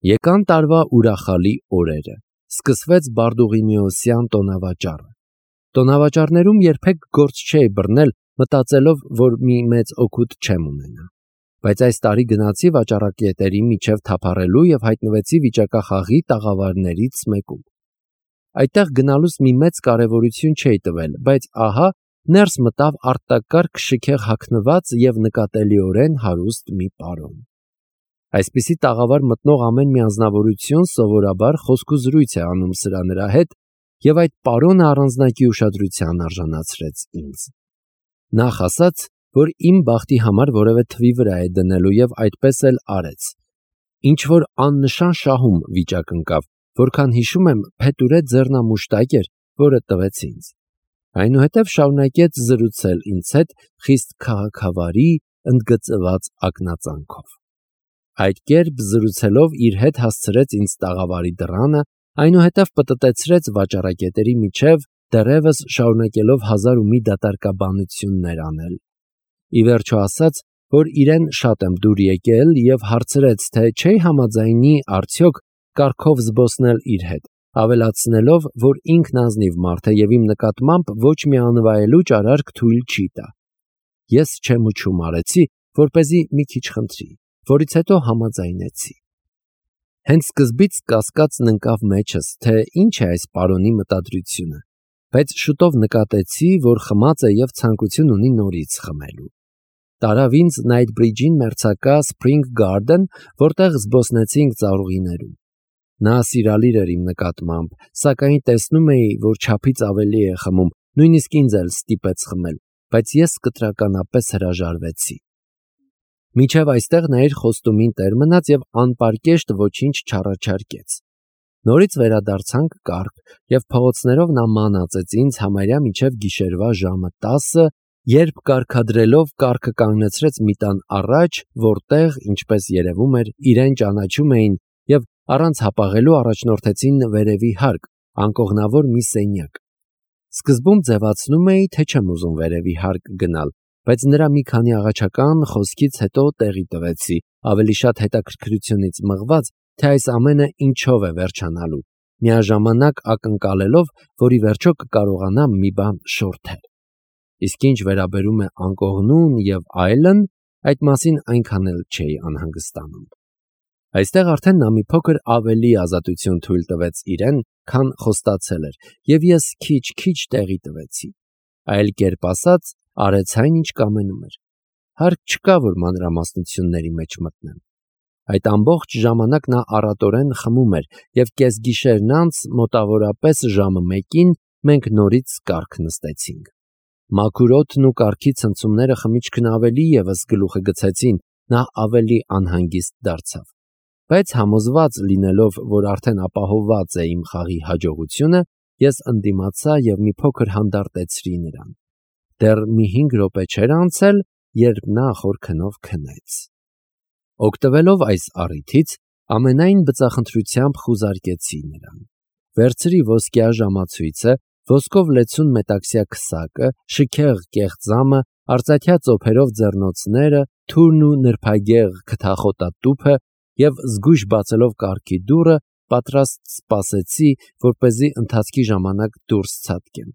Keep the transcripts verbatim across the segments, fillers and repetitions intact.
Եկան տարվա ուրախալի օրերը, սկսվեց Բարդուղիմեոսյան տոնավաճառը։ Տոնավաճառներում երբեք գործ չէի բռնել, մտածելով, որ մի մեծ օգուտ չեմ ունենա։ Բայց այս տարի գնացի վաճառակետերի միջև թափառելու և հայտնվեցի վիճակախաղի տաղավարներից մեկում։ Այդտեղ գնալուց մի մեծ կարևորություն չէի տվել, բայց ահա ներս մտավ արտակարգ շքեղ հագնված և նկատելիորեն հարուստ մի պարոն։ Այսպիսի տաղավար մտնող ամեն մի անձնավորություն սովորաբար խոսքուզրույց է անում սրա-նրա հետ, և այդ պարոնը առանձնակի ուշադրության արժանացրեց ինձ։ Նախ ասաց, որ իմ բախտի համար որևէ թվի վրա է դնելու և այդպես էլ արեց։ Ինչ-որ աննշան շահում վիճակ ընկավ, որքան հիշում եմ, փետուրե ձեռնամուշտակ էր, որը տվեց ինձ։ Այնուհետև շարունակեց զրուցել ինձ հետ խիստ քաղաքավարի, ընդգծված ակնածանքով։ Այդ կերպ զրուցելով իր հետ հասցրեց ինձ տաղավարի դռանը, այնուհետև պտտեցրեց վաճառակետերի միջև, դեռևս շարունակելով հազար ու մի դատարկաբանություններ անել։ Ի վերջո ասաց, որ իրեն շատ եմ դուր եկել և հարցրեց, թե չէի համաձայնի արդյոք կառքով զբոսնել իր հետ, ավելացնելով, որ ինքն ազնիվ մարդ է և իմ նկատմամբ ոչ մի անվայելուչ արարք թույլ չի տա։ Ես չեմուչում արեցի, որպեսզի մի քիչ խնդրի, որից հետո համաձայնեցի։ Հենց սկզբից կասկածն ընկավ մեջս, թե ինչ է այս պարոնի մտադրությունը, բայց շուտով նկատեցի, որ խմած է և ցանկություն ունի նորից խմելու։ Տարավ ինձ Նայթբրիջին մերձակա Spring Garden, որտեղ զբոսնեցինք ծառուղիներում։ Նա սիրալիր էր իմ նկատմամբ, սակայն տեսնում էի, որ չափից ավելի է խմում, նույնիսկ ինձ էլ ստիպեց խմել, բայց ես կտրականապես հրաժարվեցի։ Մինչև այստեղ նա իր խոստումին տեր մնաց և անպարկեշտ ոչինչ չառաջարկեց։ Նորից վերադարձանք կառք, և փողոցներով նա մանածեց ինձ համարյա մինչև գիշերվա ժամը տասը, երբ կարգադրելով կառքը կանգնեցրեց մի տան առաջ, որտեղ, ինչպես երևում էր, իրեն ճանաչում էին և առանց հապաղելու առաջնորդեցին վերևի հարկ, անկողնավոր մի սենյակ։ Սկզբում ձևացնում էի, թե չեմ ուզում վերևի հարկ գնալ, բայց նրա մի քանի աղաչական խոսքից հետո տեղի տվեցի, ավելի շատ հետաքրքրությունից մղված, թե այս ամենը ինչով է վերջանալու, միաժամանակ ակնկալելով, որ ի վերջո կկարողանամ մի բան շորթել։ Իսկ ինչ վերաբերում է անկողնուն և այլն, այդ մասին այնքան էլ չէի անհանգստանում։ Այստեղ արդեն նա մի փոքր ավելի ազատություն թույլ տվեց իրեն, քան խոստացել էր, և ես քիչ-քիչ տեղի տվեցի։ Այլ կերպ ասած, արեց այն, ինչ կամենում էր։ Հարկ չկա, որ մանրամասնությունների մեջ մտնեմ։ Այդ ամբողջ ժամանակ նա առատորեն խմում էր, և կեսգիշերն անց, մոտավորապես ժամը մեկին, մենք նորից կառք նստեցինք։ Մաքուր օդն ու կառքի ցնցումները խմիչքն ավելի ևս գլուխը գցեցին, նա ավելի անհանգիստ դարձավ։ Բայց համոզված լինելով, որ արդեն ապահովված է իմ խաղի հաջողությունը, ես ընդդիմացա և մի փոքր հանդարտեցրի նրան։ Դեռ մի հինգ րոպե չէր անցել, երբ նա խոր քնով քնեց։ Օգտվելով այս առիթից, ամենայն բծախնդրությամբ խուզարկեցի նրան։ Վերցրի ոսկյա ժամացույցը, ոսկով լեցուն մետաքսյա քսակը, շքեղ կեղծամը, արծաթյա ծոփերով ձեռնոցները, թուրն ու նրբագեղ քթախոտատուփը և զգույշ բացելով կառքի դուռը, պատրաստ սպասեցի, որպեսզի ընթացքի ժամանակ դուրս ցատկեմ։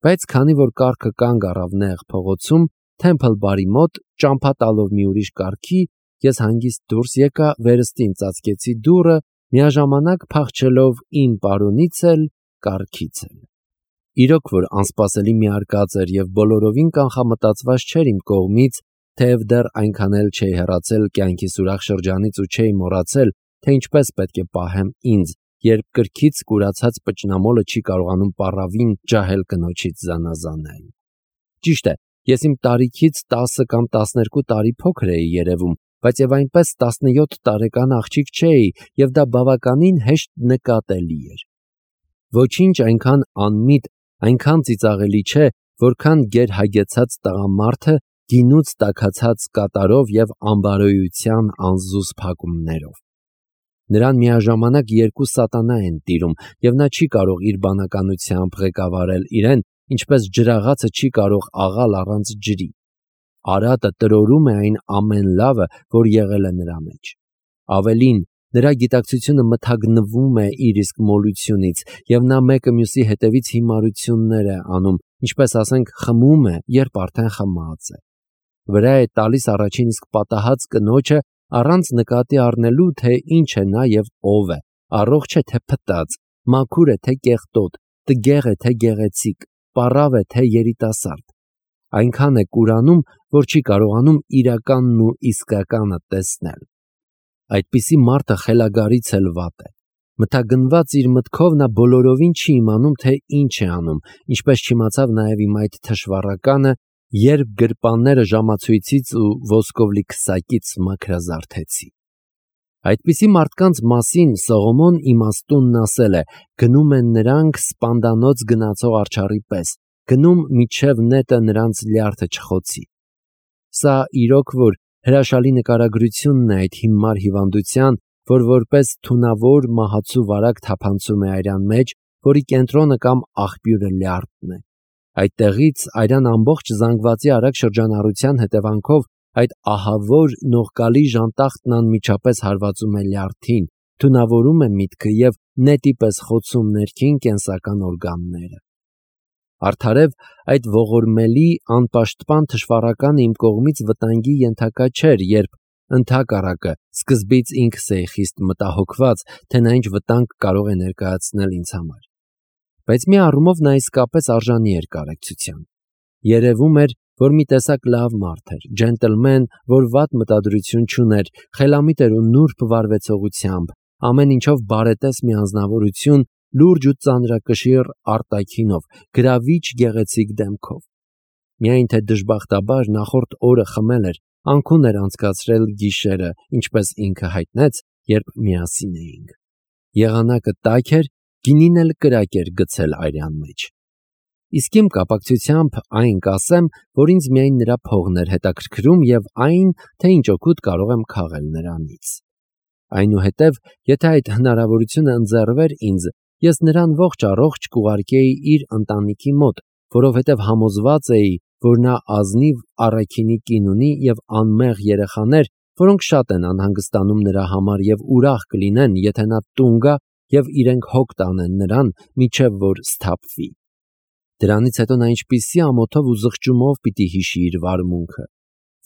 Բայց քանի որ կառքը կանգ առավ նեղ փողոցում, Թեմփլ բարի մոտ, ճամփա տալով մի ուրիշ կառքի, ես հանգիստ դուրս եկա, վերստին ծածկեցի դուռը, միաժամանակ փախչելով իմ պարոնից էլ, կառքից էլ։ Իրոք որ անսպասելի մի արկած էր և բոլորովին կանխամտածված չէր իմ կողմից, թեև դեռ այնքան էլ չէի հեռացել կյանքիս ուրախ շրջանից ու չէի մոռացել, թե ինչպես պետք է պահեմ ինձ, երբ կրքից կուրացած պճնամոլը չի կարողանում պառավին ջահել կնոջից զանազանել։ Ճիշտ է, ես իմ տարիքից տասը կամ տասներկու տարի փոքր էի երևում, բայց և այնպես տասնյոթ տարեկան աղջիկ չէի, և դա բավականին հեշտ նկատելի էր։ Ոչինչ այնքան անմիտ, այնքան ծիծաղելի չէ, որքան գերհագեցած տղամարդը գինուց տաքացած կատարով և անբարոյության անզուզ փակումներով։ Նրան միաժամանակ երկու սատանա են տիրում, և նա չի կարող իր բանականությամբ ղեկավարել իրեն, ինչպես ջրաղացը չի կարող աղալ առանց ջրի։ Արատը տրորում է այն ամեն լավը, որ եղել է նրա մեջ։ Ավելին, Նրա գիտակցությունը մթագնվում է իր իսկ մոլությունից, և նա մեկը մյուսի հետևից հիմարություններ է անում, ինչպես ասենք խմում է, երբ արդեն խմած է։ Վրա է տալիս առաջին իսկ պատահած կնոջը, առանց նկատի առնելու, թե ինչ է նա և ով է, առողջ է թե փտած, մաքուր է թե կեղտոտ, տգեղ է թե գեղեցիկ, պառավ է թե երիտասարդ։ Այնքան է կուրանում, որ չի կարողանում իրականն ու իսկականը տեսնել։ Այդպիսի մարդը խելագարից էլ վատ է։ Մթագնված իր մտքով նա բոլորովին չի իմանում, թե ինչ է անում, ինչպես չիմացավ նաև իմ այդ թշվառականը, երբ գրպանները ժամացույցից ու ոսկով լի քսակից մաքրազարդեցի։ Այդպիսի մարդկանց մասին Սողոմոն իմաստունն ասել է. գնում են նրանք սպանդանոց գնացող արջառի պես, գնում միջև նետը նրանց լյարդը չխոցի։ Սա իրոք որ հրաշալի նկարագրությունն է այդ հիմար հիվանդության, որ որպես թունավոր մահացու վարակ թափանցում է արյան մեջ, որի կենտրոնը կամ աղբյուրը լյարդն է։ Այդտեղից արյան ամբողջ զանգվածի արագ շրջանառության հետևանքով այդ ահավոր նողկալի ժանտախտն անմիջապես հարվածում է լյարդին, թունավորում է միտքը և նետի պես խոցում ներքին կենսական օրգանները։ Արդարև այդ ողորմելի անպաշտպան թշվառականը իմ կողմից վտանգի ենթակա չէր, երբ ընդհակառակը սկզբից ինքս էի խիստ մտահոգված, թե նա ինչ վտանգ կարող է ներկայացնել ինձ համար։ Բայց մի առումով նա իսկապես արժանի էր կարեկցության։ Երևում էր, որ մի տեսակ լավ մարդ էր, ջենտլմեն, որ վատ մտադրություն չուներ, խելամիտ էր ու նուրբ վարվեցողությամբ, ամեն ինչով բարետես մի անձնավորություն, լուրջ ու ծանրակշիռ արտաքինով, գրավիչ գեղեցիկ դեմքով։ Միայն թե դժբախտաբար նախորդ օրը խմել էր, անքուն էր անցկացրել գիշերը, ինչպես ինքը հայտնեց, երբ միասին էինք։ Եղանակը տաք էր, գինին էլ կրակ էր գցել արյան մեջ։ Իսկ իմ կապակցությամբ այն կասեմ, որ ինձ միայն նրա փողն էր հետաքրքրում և այն, թե ինչ օգուտ կարող եմ քաղել նրանից։ Այնուհետև, եթե այդ հնարավորությունը ընձեռվեր ինձ, ես նրան ողջ առողջ կուղարկեի իր ընտանիքի մոտ, որովհետև համոզված էի, որ նա ազնիվ առաքինի կին ունի և անմեղ երեխաներ, որոնք շատ են անհանգստանում նրա համար և ուրախ կլինեն, եթե նա տուն գա և իրենք հոգ տանեն նրան, մինչև որ սթափվի։ Դրանից հետո նա ինչպիսի ամոթով ու զղջումով պիտի հիշի իր վարմունքը,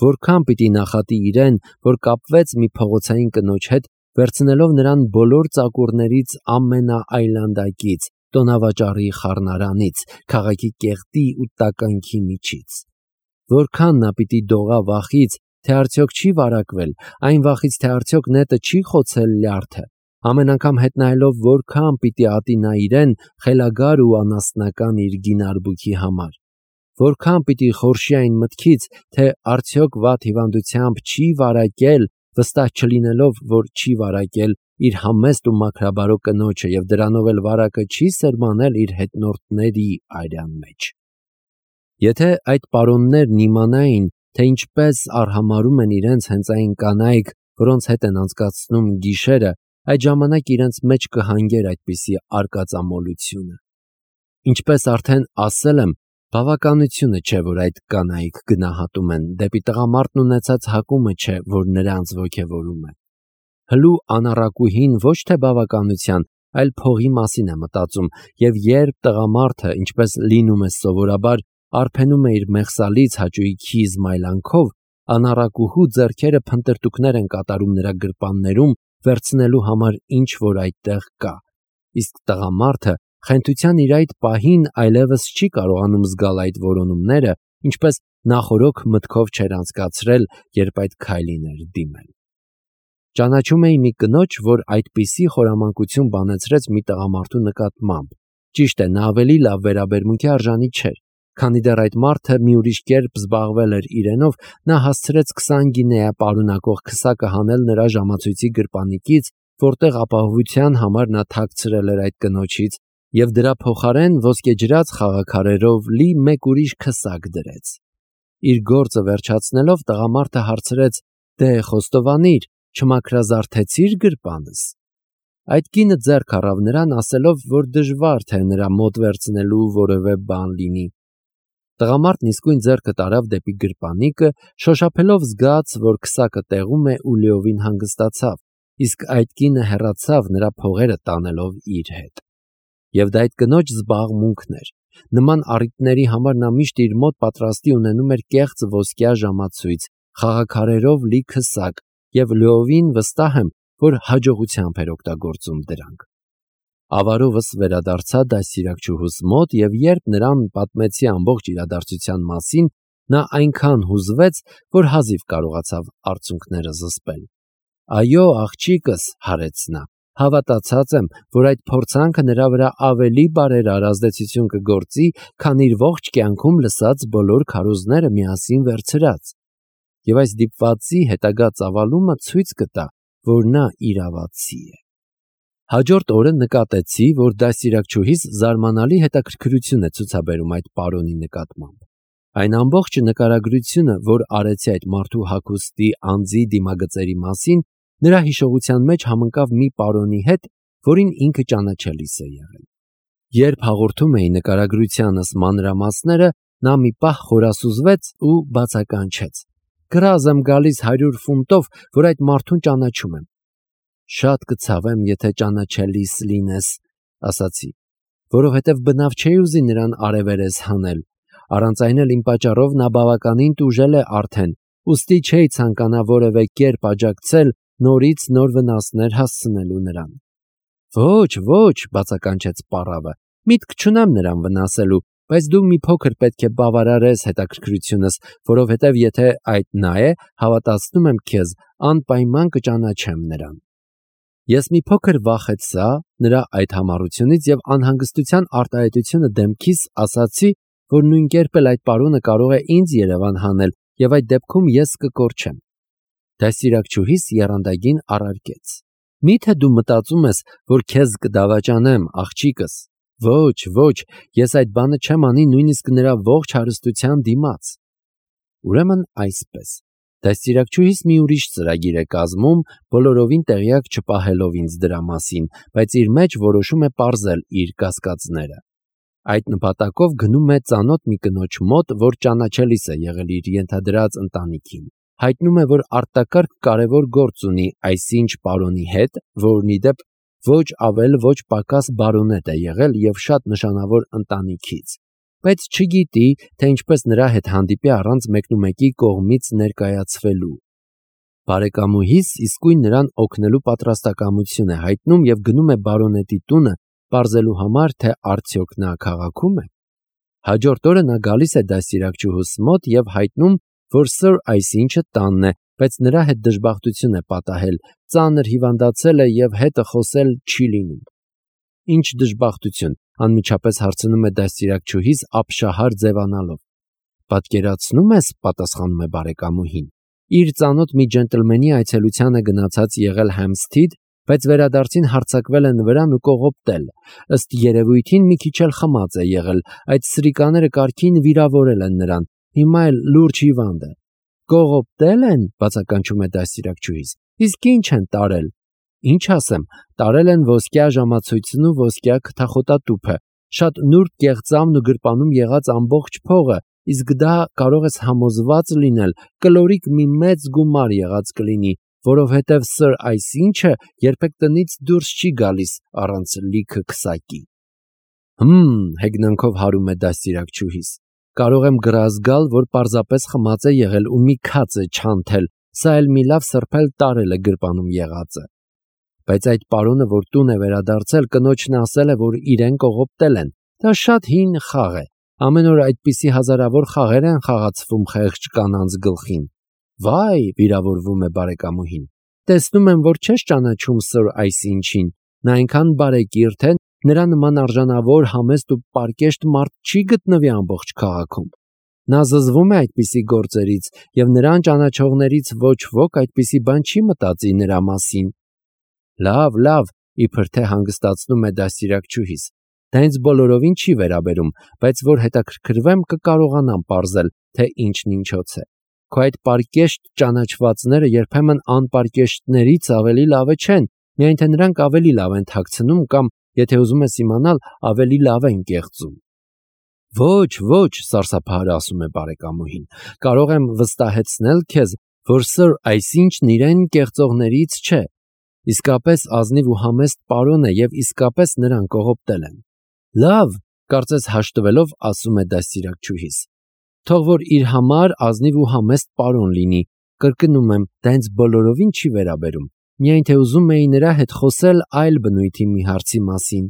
որքան պիտի նախատի իրեն, որ կապվեց մի փողոցային կնոջ հետ, վերցնելով նրան բոլոր ծակուրներից ամենաայլանդակից, տոնավաճառի խառնարանից, քաղաքի կեղտի ու տականքի միջից։ Որքան նա պիտի դողա վախից, թե արդյոք չի վարակվել, այն վախից, թե արդյոք նետը չի խոցել լյարդը, ամեն անգամ հետ նայելով որքան պիտի ատի նա իրեն խելագար ու անասնական իր գինարբուքի համար, որքան պիտի խորշի այն մտքից, թե արդյոք վատ հիվանդությամբ չի վարակել, վստահ չլինելով, որ չի վարակել իր համեստ ու մաքրաբարո կնոջը և դրանով էլ վարակը չի սերմանել իր հետնորդների արյան մեջ։ Եթե այդ պարոններն իմանային, թե ինչպես արհամարհում են իրենց հենց այն կանայք, որոնց հետ են անցկացնում գիշերը, այդ ժամանակ իրենց մեջ կհանգեր այդպիսի արկածամոլությունը։ Ինչպես արդեն ասել եմ, բավականությունը չէ, որ այդ կանայք գնահատում են, դեպի տղամարդն ունեցած հակումը չէ, որ նրանց ոգևորում է։ Հլու անառակուհին ոչ թե բավականության, այլ փողի մասին է մտածում, և երբ տղամարդը, ինչպես լինում է սովորաբար, արփենում է իր մեղսալից հաճույքի զմայլանքով, անառակուհու ձեռքերը փնտրտուքներ են կատարում նրա գրպաններում, վերցնելու համար ինչ որ այդտեղ կա, իսկ տղամարդը խենթության իր այդ պահին այլևս չի կարողանում զգալ այդ որոնումները, ինչպես նախօրոք մտքով չէր անցկացրել, երբ այդ քայլին էր դիմել։ Ճանաչում էի մի կնոջ, որ այդպիսի խորամանկություն բանեցրեց մի տղամարդու նկատմամբ։ Ճիշտ է, նա ավելի լավ վերաբերմունքի արժանի չէր։ Քանի դեռ այդ մարդը մի ուրիշ կերպ զբաղվել էր իրենով, նա հասցրեց քսան գինեա պարունակող քսակը հանել նրա ժամացույցի գրպանիկից, որտեղ ապահովության համար նա թաքցրել էր այդ կնոջից, և դրա փոխարեն ոսկեջրած խաղաքարերով լի մեկ ուրիշ քսակ դրեց։ Իր գործը վերջացնելով տղամարդը հարցրեց. «Դե խոստովանիր, չմաքրազարդեցի՞ր գրպանս»։ Այդ կինը ձեռք առավ նրան, ասելով, որ դժվար թե նրա մոտ վերցնելու որևէ բան լինի։ Տղամարդն իսկույն ձեռքը տարավ դեպի գրպանիկը, շոշափելով զգաց, որ քսակը տեղում է ու լիովին հանգստացավ, իսկ այդ կինը հեռացավ նրա փողերը տանելով իր հետ։ Եվ դա այդ կնոջ զբաղմունքն էր։ Նման առիթների համար նա միշտ իր մոտ պատրաստի ունենում էր կեղծ ոսկյա ժամացույց, խաղաքարերով լի քսակ, եւ լիովին վստահ եմ, որ հաջողությամբ էր օգտագործում դրանք։ Ավարովս վերադարձա դաստիարակչուհուս մոտ, եւ երբ նրան պատմեցի ամբողջ իրադարձության մասին, նա այնքան հուզվեց, որ հազիվ կարողացավ արցունքները զսպել։ Այո, աղջիկս, հարեց նա, հավատացած եմ, որ այդ փորձանքը նրա վրա ավելի բարերար ազդեցություն կգործի, քան իր ողջ կյանքում լսած բոլոր քարոզները միասին վերցրած։ Եվ այս դիպվածի հետագա ծավալումը ցույց կտա, որ նա իրավացի է։ Հաջորդ օրը նկատեցի, որ դաստիարակչուհիս զարմանալի հետաքրքրություն է ցուցաբերում այդ պարոնի նկատմամբ։ Այն ամբողջ նկարագրությունը, որ արեցի այդ մարդու հագուստի, անձի, դիմագծերի մասին, նրա հիշողության մեջ համընկավ մի պարոնի հետ, որին ինքը ճանաչելիս է եղել։ Երբ հաղորդում էի նկարագրությանս մանրամասները, նա մի պահ խորասուզվեց ու բացականչեց. «Գրազ եմ գալիս հարյուր ֆունտով, որ այդ մարդուն ճանաչում եմ»։ «Շատ կցավեմ, եթե ճանաչելիս լինես», ասացի, որովհետև բնավ չէի ուզի նրան արևերես հանել։ Առանց այն էլ իմ պատճառով նա բավականին տուժել է արդեն, ուստի չէի ցանկանա որևէ կերպ աջակցել նորից նոր վնասներ հասցնելու նրան։ Ոչ, ոչ, բացականչեց պառավը, միտք չունեմ նրան վնասելու, բայց դու մի փոքր պետք է բավարարես հետաքրքրությունս, որովհետև եթե այդ նա է, հավատացնում եմ քեզ, անպայման կճանաչեմ նրան։ Ես մի փոքր վախեցա նրա այդ համառությունից եւ անհանգստության արտահայտությունը դեմքիս ասացի, որ նույն կերպ էլ այդ պարոնը կարող է ինձ Երևան հանել եւ այդ դեպքում ես կկորչեմ։ Դաստիարակչուհիս եռանդագին առարկեց. Մի՞թե դու մտածում ես, որ քեզ կդավաճանեմ, աղջիկս։ Ոչ, ոչ, ես այդ բանը չեմ անի նույնիսկ նրա ողջ հարստության դիմաց։ Ուրեմն այսպես։ Դաստիարակչուհիս մի ուրիշ ծրագիր է կազմում, բոլորովին տեղյակ չպահելով ինձ դրա մասին, բայց իր մեջ որոշում է պարզել իր կասկածները։ Այդ նպատակով գնում է ծանոթ մի կնոջ մոտ, որ ճանաչելիս է եղել իր ենթադրած ընտանիքին։ Հայտնում է, որ արտակարգ կարևոր գործ ունի այսինչ պարոնի հետ, որն ի դեպ ոչ ավել ոչ պակաս բարոնետ է եղել եւ շատ նշանավոր ընտանիքից, բայց չգիտի, թե ինչպես նրա հետ հանդիպի առանց մեկնումեկի կողմից ներկայացվելու։ Բարեկամուհիս իսկույն նրան օգնելու պատրաստակամություն է հայտնում եւ գնում է բարոնետի տունը, պարզելու համար, թե արդյոք նա քաղաքում է։ Հաջորդ օրը նա գալիս է դաստիարակչուհուս մոտ եւ հայտնում, որ Սըր այսինչը տանն է, բայց նրա հետ դժբախտություն է պատահել, ծանր հիվանդացել է եւ հետը խոսել չի լինում։ Ինչ դժբախտություն, անմիջապես հարցնում է դաստիարակչուհիս ապշահար ձևանալով։ Պատկերացնում ես, պատասխանում է բարեկամուհին, իր ծանոթ մի ջենտլմենի այցելության է գնացած եղել Հեմփսթիդ, բայց վերադարձին հարձակվել են վրան ու կողոպտել։ Ըստ երևույթին մի քիչ էլ խմած է եղել, այդ սրիկաները կարգին վիրավորել են նրան, հիմա էլ լուրջ հիվանդ է։ Կողոպտել են, բացականչում է դաստիարակչուհիս, իսկ ինչ են տարել։ Ինչ ասեմ, տարել են ոսկյա ժամացույցն ու ոսկյա քթախոտատուփը, շատ նուրբ կեղծամն ու գրպանում եղած ամբողջ փողը, իսկ դա կարող ես համոզված լինել, կլորիկ մի մեծ գումար եղած կլինի, որովհետև Սըր այսինչը երբեք տնից դուրս չի գալիս առանց լիքը քսակի։ Հմ, հեգնանքով հարում է դաստիարակչուհիս։ Կարող եմ գրազգալ, որ պարզապես խմած է եղել ու մի քաց է չանթել, սա էլ մի լավ սրբել տարել է գրպանում եղածը։ Բայց այդ պարոնը, որ տուն է վերադարձել, կնոջն ասել է, որ իրեն կողոպտել են։ Դա շատ հին խաղ է։ Ամեն օր այդպիսի հազարավոր խաղեր են խաղացվում խեղճ կանանց գլխին։ Վայ, վիրավորվում է բարեկամուհին։ Տեսնում եմ, որ չես ճանաչում Սըր այսինչին։ Նա այնքան բարեկիրթ է, նրա նման արժանավոր, համեստ ու պարկեշտ մարդ չի գտնվի ամբողջ քաղաքում։ Նա զզվում է այդպիսի գործերից եւ նրան ճանաչողներից ոչ ոք այդպիսի բան չի մտածի նրա մասին։ Լավ, լավ, իբր թե հանգստացնում է դաստիարակչուհիս։ Դա ինձ բոլորովին չի վերաբերում, բայց որ հետաքրքրվեմ կկարողանամ պարզել, թե ինչն ինչոց է։ Քո այդ պարկեշտ ճանաչվածները երբեմն անպարկեշտներից ավելի լավը չեն, միայն թե նրանք ավելի լավ են թաքցնում կամ, եթե ուզում ես իմանալ, ավելի լավ են կեղծում։ Ոչ, ոչ, սարսափահար ասում է բարեկամուհին, կարող եմ վստահեցնել քեզ, որ Սըր այսինչն իրեն կեղծողներից չէ։ Իսկապես ազնիվ ու համեստ պարոն է եւ իսկապես նրան կողոպտել են։ Լավ, կարծես հաշտվելով ասում է դաստիարակչուհիս։ Թող որ իր համար ազնիվ ու համեստ պարոն լինի, կրկնում եմ, դա ինձ բոլորովին չի վերաբերում, միայն թե ուզում էի նրա հետ խոսել այլ բնույթի մի հարցի մասին։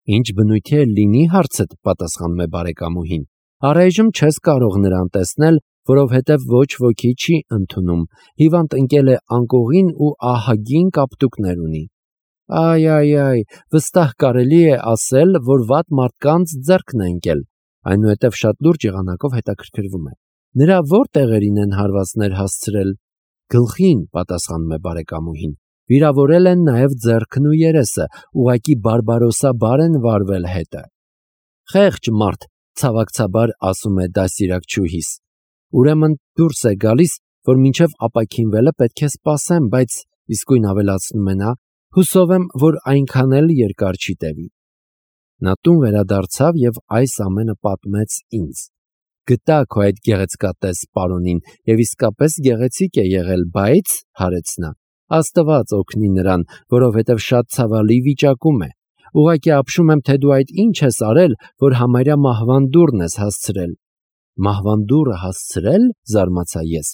Ինչ բնույթի է լինի հարցդ, պատասխանում է բարեկամուհին։ Առայժմ չես կարող նրան տեսնել, որովհետև ոչ ոքի չի ընդունում, հիվանդ ընկել է անկողին ու ահագին կապտուկներ ունի։ Այ, այ, այ, վստահ կարելի է ասել, որ վատ մարդկանց ձեռքն է ընկել, այնուհետև շատ լուրջ եղանակով հետաքրքրվում է։ Նրա ո՞ր տեղերին են հարվածներ հասցրել։ Գլխին, պատասխանում է բարեկամուհին։ Վիրավորել են նաև ձեռքն ու երեսը, ուղղակի բարբարոսաբար են վարվել հետը։ Խեղճ մարդ, ցավակցաբար ասում է դաստիարակչուհիս։ Ուրեմն դուրս է գալիս, որ մինչև ապաքինվելը պետք է սպասեմ, բայց իսկույն ավելացնում է նա, հուսով եմ, որ այնքան էլ երկար չի տևի։ Նա տուն վերադարձավ եւ այս ամենը պատմեց ինձ։ Գտա քո այդ գեղեցկատես պարոնին եւ իսկապես գեղեցիկ է եղել, բայց, հարեց նա, Աստված օգնի նրան, որովհետև շատ ցավալի վիճակում է։ Ուղղակի ապշում եմ, թե դու այդ ինչ ես արել, որ համարյա մահվան դուռն ես հասցրել։ Մահվան դուռը հասցրել, զարմացա ես։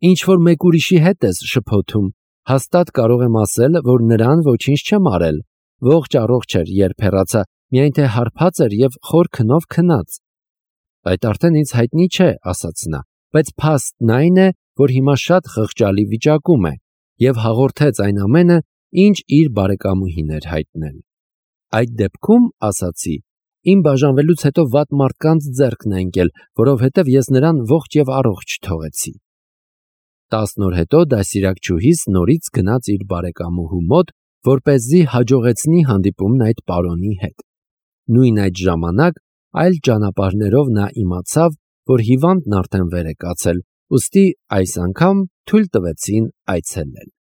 Ինչ որ մեկ ուրիշի հետ ես շփոթում։ Հաստատ կարող եմ ասել, որ նրան ոչինչ չեմ արել։ Ողջ առողջ էր, երբ հեռացա, միայն թե հարբած էր եւ խոր քնով քնած։ Այդ արդեն ինձ հայտնի չէ, ասաց նա, բայց փաստն այն է, որ հիմա շատ խղճալի վիճակում է եւ հաղորդեց այն ամենը, ինչ իր բարեկամուհին էր հայտնել։ Այդ դեպքում, ասացի, իմ բաժանվելուց հետո վատ մարդկանց ձեռքն է ընկել, որովհետև ես նրան ողջ եւ առողջ թողեցի։ Տասն օր հետո դաստիարակչուհիս նորից գնաց իր բարեկամուհու մոտ, որպեսզի հաջողեցնի հանդիպումն այդ պարոնի հետ։ Նույն այդ ժամանակ այլ ճանապարհներով նա իմացավ, որ հիվանդն արդեն վեր է կացել, ուստի այս անգամ թույլ տվեցին այցելել։